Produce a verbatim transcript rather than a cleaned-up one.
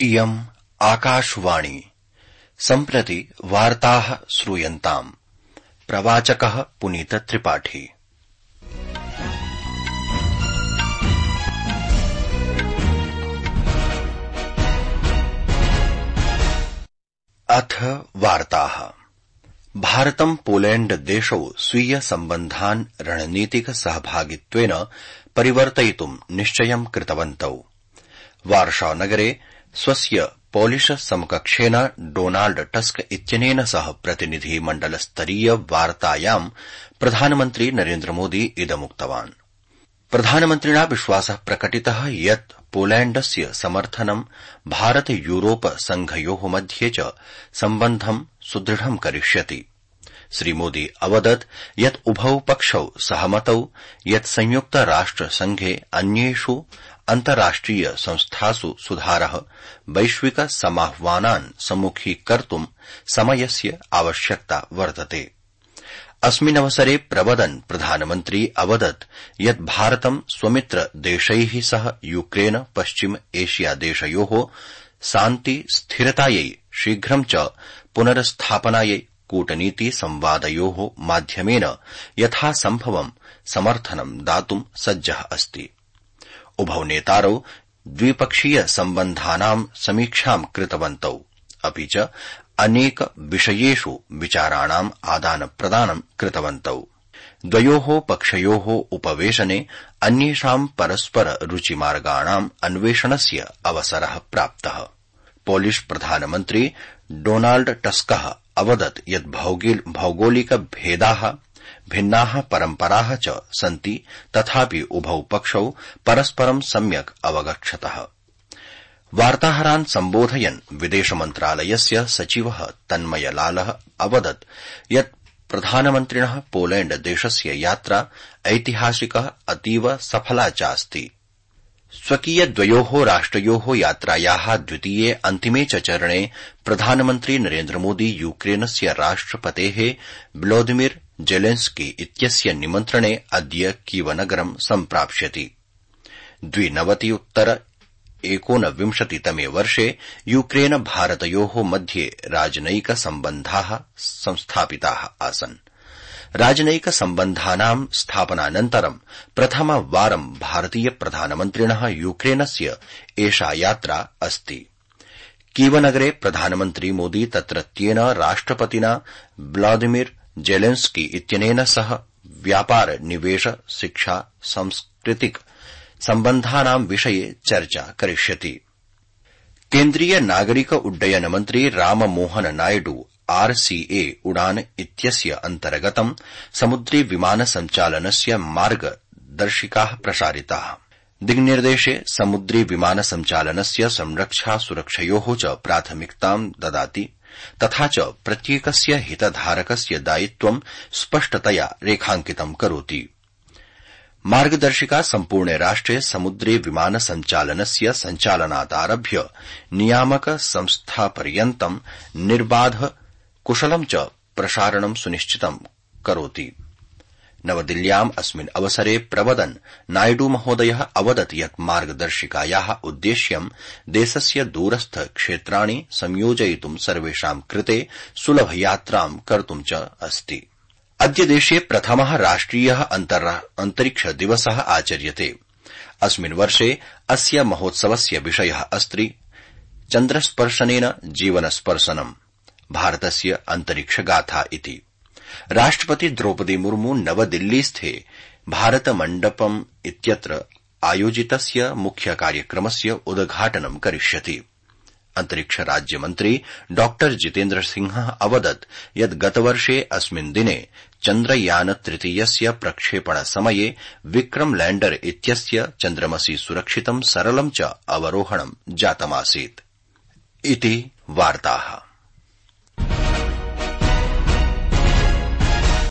इयम् आकाशवाणी सम्प्रति वार्ताः श्रूयन्ताम्। प्रवाचकः पुनीत त्रिपाठी। अथ वार्ताः। भारतं पोलैंड देशौ स्वीय सम्बन्धान् रणनीतिक सहभागित्वेन परिवर्तयितुं निश्चयं कृतवन्तौ। वार्षा नगरे स्वस्य पोलिश समकक्षेन डोनाल्ड टस्क इत्यनेन सह प्रतिनिधि मण्डलस्तरीय वार्तायां प्रधानमन्त्री नरेन्द्रमोदी इदमुक्तवान्। प्रधानमन्त्रिणा विश्वासः प्रकटितः यत् पोलैंडस्य समर्थनं भारत यूरोप संघयोः मध्ये च सम्बन्धं सुदृढं करिष्यति। श्रीमोदी अवदत् यत् उभौ पक्षौ सहमतौ यत् संयुक्त राष्ट्र संघे अन्येषु अन्ताराष्ट्रिय संस्थासु सुधारः वैश्विक समाह्वानान् सम्मुखीकर्तुं समयस्य आवश्यकता वर्तते। अस्मिन्नवसरे प्रवदन् प्रधानमन्त्री अवदत् यत् भारतं स्वमित्र देशैः सह यूक्रेन पश्चिम एशिया देशयोः शान्ति स्थिरतायै शीघ्रं च पुनर्स्थापनायै कूटनीति संवादयोः माध्यमेन यथासम्भवं समर्थनं दातुं सज्जः अस्ति। उभौ नेतारौ द्विपक्षीय सम्बन्धानां समीक्षां कृतवन्तौ, अपि च अनेक विषयेषु विचाराणाम् आदानप्रदानं कृतवन्तौ। द्वयोः पक्षयोः उपवेशने अन्येषां परस्पर रुचिमार्गाणाम् अन्वेषणस्य अवसरः प्राप्तः। पोलिश प्रधानमन्त्री डोनाल्ड टस्कः अवदत् यत् भौगोलिक भेदाः भिन्नाः परम्पराः च सन्ति, तथापि उभौ पक्षौ परस्परं सम्यक् अवगच्छतः। वार्ताहरान् सम्बोधयन् विदेशमन्त्रालयस्य सचिवः तन्मयलालः अवदत् यत् प्रधानमन्त्रिणः पोलैंड देशस्य यात्रा ऐतिहासिकः अतीव सफला चास्ति। स्वकीयद्वयोः राष्ट्रयोः यात्रायाः द्वितीये अन्तिमे च चरणे प्रधानमन्त्री नरेन्द्रमोदी यूक्रेनस्य राष्ट्रपतेः व्लादिमिर जेलेन्स्की इत्यस्य निमन्त्रणे अद्य कीवनगरं सम्प्राप्स्यति। द्विनवति उत्तर एकोनविंशतितमे वर्षे यूक्रेन भारतयोः मध्ये राजनयिक सम्बन्धाः संस्थापिताः आसन्। राजनयिक सम्बन्धानां स्थापनानन्तरं प्रथमवारं भारतीय प्रधानमन्त्रिणः यूक्रेनस्य एषा यात्रा अस्ति। कीवनगरे प्रधानमन्त्री मोदी तत्रत्येन राष्ट्रपतिना व्लादिमिर जेलेन्स्की इत्यनेन सह व्यापार निवेश शिक्षा सांस्कृतिक सम्बन्धानां विषये चर्चा करिष्यति। केन्द्रीय नागरिक उड्डयन मन्त्री राममोहन नायडू आरसीए उड़ान इत्यस्य अन्तर्गतं समुद्री विमान सञ्चालनस्य मार्गदर्शिकाः प्रसारिताः। दिङ्निर्देशे समुद्री विमान सञ्चालनस्य संरक्षा सुरक्षयोः च प्राथमिकतां ददाति, तथा च प्रत्येकस्य हितधारकस्य दायित्वं स्पष्टतया रेखाङ्कितं करोति। मार्गदर्शिका सम्पूर्णे राष्ट्रे समुद्री विमान सञ्चालनस्य सञ्चालनादारभ्य नियामक संस्थापर्यन्तं निर्बाध कुशलं च प्रसारणं सुनिश्चितं करोति। नवदिल्ल्याम् अस्मिन् अवसरे प्रवदन् नायडू महोदयः अवदत् यत् मार्गदर्शिकायाः उद्देश्यं देशस्य दूरस्थ क्षेत्राणि संयोजयितुं सर्वेषां कृते सुलभयात्रां कर्तुं च अस्ति। अद्य देशे प्रथमः राष्ट्रियः अन्तरिक्ष दिवसः आचर्यते। अस्मिन् वर्षे अस्य महोत्सवस्य विषयः अस्ति चन्द्रस्पर्शनेन जीवनस्पर्शनम्, भारतस्य अन्तरिक्षगाथा इति। राष्ट्रपति द्रौपदी मुर्मू नवदिल्लीस्थे भारत मण्डपम् इत्यत्र आयोजितस्य मुख्य कार्यक्रमस्य उद्घाटनं करिष्यति। अन्तरिक्ष राज्यमन्त्री डॉ जितेन्द्र सिंहः अवदत् यत् गतवर्षे अस्मिन् दिने चन्द्रयान तृतीयस्य प्रक्षेपण समये विक्रम लैण्डर इत्यस्य चन्द्रमसि सुरक्षितं सरलं च अवरोहणं जातमासीत्। इति वार्ताः।